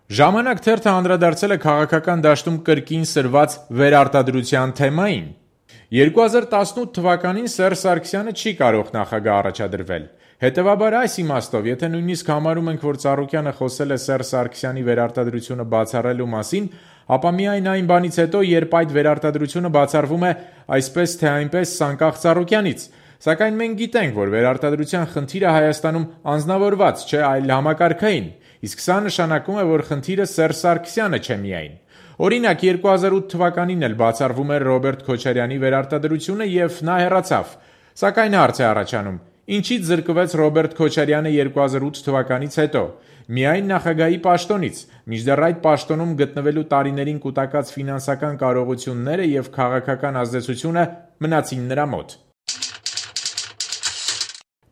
Ժամանակ թերթը անդրադարձել է քաղաքական դաշտում կրկին սրված վերարտադրության թեմային։ 2018 թվականին Սերժ Սարգսյանը չի կարող նախագահ առաջադրվել։ Հետևաբար այս իմաստով, եթե նույնիսկ համարում ենք, որ Ծառուկյանը խոսել է Սերժ Սարգսյանի վերարտադրությունը բացառելու մասին, ապա միայն այն բանից հետո, երբ այդ վերարտադրությունը բացառվում է այսպես թե այնպես անկախ Ծառուկյանից։ Սակայն մենք գիտենք, որ վերարտադրության խնդիրը Հայաստանում անձնավորված չէ, այլ համակարգային, իսկ սա նշանակում է, որ խնդիրը Սերժ Սարգսյանը չէ միայն։ Օրինակ, 2008 թվականին էլ բացառվում էր Ռոբերտ Քոչարյանի վերարտադրությունը և նա հեռացավ։ Սակայն հարց է առաջանում. ինչից զրկվեց Ռոբերտ Քոչարյանը 2008 թվականից հետո։ Միայն նախագահի պաշտոնից, մինչդեռ այդ պաշտոնում գտնվելու տարիներին կուտակած ֆինանսական կարողությունները և քաղաքական ազդեցությունը մնացին նրա մոտ։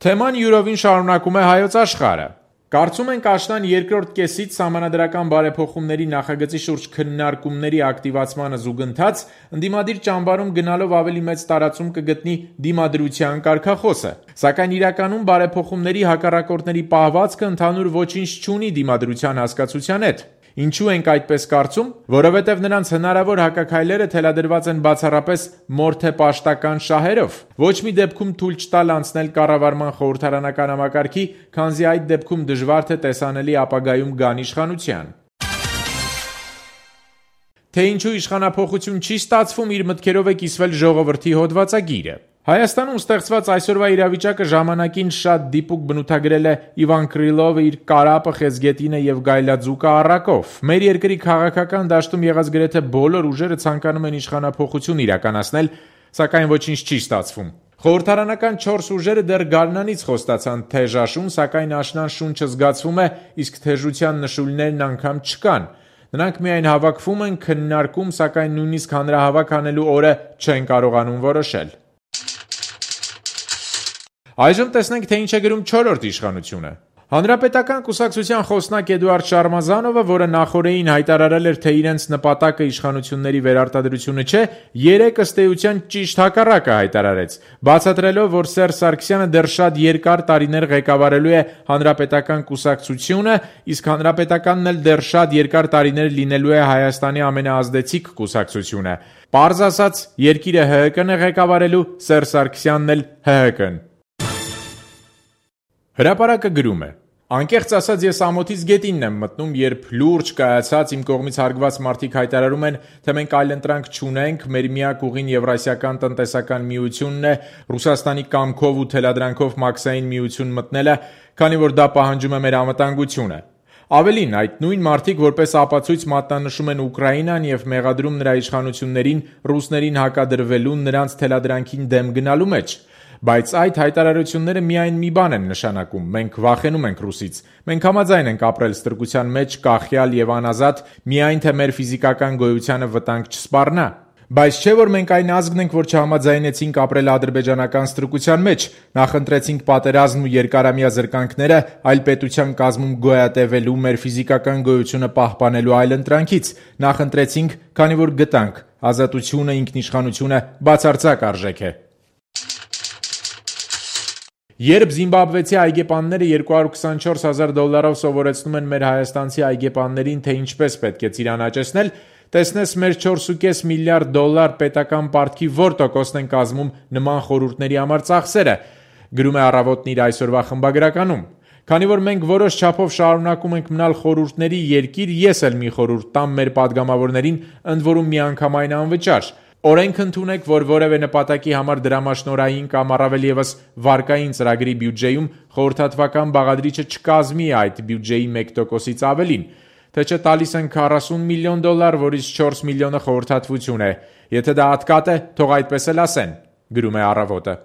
Թեման յուրովին շարունակում է Հայոց Աշխարհը։ Կարծում ենք աշնան երկրորդ կեսից սահմանադրական բարեփոխումների նախագծի շուրջ քննարկումների ակտիվացմանը զուգընթաց ընդդիմադիր ճամբարում գնալով ավելի մեծ տարածում կգտնի դիմադրության կարգախոսը։ Սակայն իրականում բարեփոխումների հակառակորդների պահվածքը ընդհանուր ոչինչ չունի դիմադրության հասկացության հետ։ Ինչու ենք այդպես կարծում։ Որովհետև նրանց հնարավոր հակաքայլերը թելադրված են բացառապես մորթեպաշտական շահերով։ Ոչ մի դեպքում թույլ չտալ անցնել կառավարման խորհրդարանական համակարգի, քանզի այդ դեպքում դժվար թե տեսանելի ապագայում գան իշխանության։ Թե ինչու իշխանափոխություն չի ստացվում, իր մտքերով է կիսվել Ժողովրդի հոդվածագիրը։ Հայաստանում ստեղծված այսօրվա իրավիճակը ժամանակին շատ դիպուկ բնութագրել է Իվան Կրիլովը իր «Կարապը, Խեզգետինը և Գայլաձուկը» առակով։ Մեր երկրի քաղաքական դաշտում եղած գրեթե բոլոր ուժերը ցանկանում են իշխանափոխություն իրականացնել, սակայն ոչինչ չի ստացվում։ Խորհրդարանական 4 ուժերը դեռ գարնանից խոստացան թեժ սակայն աշնան շունչը զգացվում է, իսկ թեժության նշույլներն անգամ չկան։ Նրանք միայն հավաքվում են, քննարկում, սակայն նույնիսկ հանրահավաք անելու օրը չեն կարողանում որոշել։ Այժմ տեսնենք, թե ինչ է գրում չորրորդ իշխանությունը։ Հանրապետական կուսակցության խոսնակ Էդուարդ Շարմազանովը, որը նախօրեին հայտարարել էր, թե իրենց նպատակը իշխանությունների վերարտադրությունը չէ, երեկ ըստ էության ճիշտ հակառակը հայտարարեց, բացատրելով, որ Սերժ Սարգսյանը դեռ շատ երկար տարիներ ղեկավարելու է Հանրապետական կուսակցությունը, իսկ Հանրապետականն էլ դեռ շատ երկար տարիներ լինելու է Հայաստանի ամենաազդեցիկ կուսակցությունը։ Պարզ ասած, երկիրը ՀՀԿ-ն է ղեկավարելու, Սերժ Սարգսյանն էլ ՀՀԿ-ն։ Հրապարակը գրում է. Անկեղծ ասած, ես ամոթից գետինն եմ մտնում, երբ լուրջ կայացած իմ կողմից հարգված մարդիկ հայտարարում են, թե մենք այլընտրանք չունենք, մեր միակ ուղին Եվրասիական տնտեսական միությունն է, Ռուսաստանի կամքով ու թելադրանքով մաքսային միություն մտնելը, քանի որ դա պահանջում է մեր անվտանգությունը։ Ավելին, այդ նույն մարդիկ որպես ապացույց մատնանշում են Ուկրաինան և մեղադրում նրա իշխանություններին ռուսներին հակադրվելու նրանց թելադրանքին դեմ գնալու մեջ։ Բայց այդ հայտարարությունները միայն մի բան են նշանակում. մենք վախենում ենք ռուսից, մենք համաձայն ենք ապրել ստրկության մեջ, կախյալ և անազատ, միայն թե մեր ֆիզիկական գոյությանը վտանգ չսպառնա։ Բայց չէ՞ որ մենք այն ազգն ենք, որ չհամաձայնեցինք ապրել ադրբեջանական ստրկության մեջ, նախընտրեցինք պատերազմն ու երկարամյա զրկանքները, այլ պետության կազմում գոյատևելու, մեր ֆիզիկական գոյությունը պահպանելու այլընտրանքից, նախընտրեցինք, քանի որ գտանք, ազատությունը, ինքնիշխանությունը բացարձակ արժեք է։ Երբ զիմբաբվեցի այգեպանները $224,000 սովորեցնում են մեր հայաստանցի այգեպաններին, թե ինչպես պետք է ծիրան աճեցնել, տեսնես մեր $4.5 միլիարդ պետական պարտքի որ տոկոսն են կազմում նման խորհուրդների համար ծախսերը, գրում է Առավոտն իր այսօրվա խմբագրականում։ Քանի որ մենք որոշ չափով շարունակում ենք մնալ խորհուրդների երկիր, ես էլ մի խորհուրդ տամ մեր падգամավորներին, ընդ որում միանգամայն անվճար։ Օրենք ընդունեք, որ որևէ նպատակի համար դրամաշնորհային կամ առավել ևս վարկային ծրագրի բյուջեում խորհրդատվական բաղադրիչը չկազմի այդ բյուջեի 1%-ից ավելին, թե չէ տալիս են $40 միլիոն, որից 4 միլիոնը խորհրդատվություն է։ Եթե դա ատկատ է, թող այդպես էլ ասեն, գրում է Առավոտը։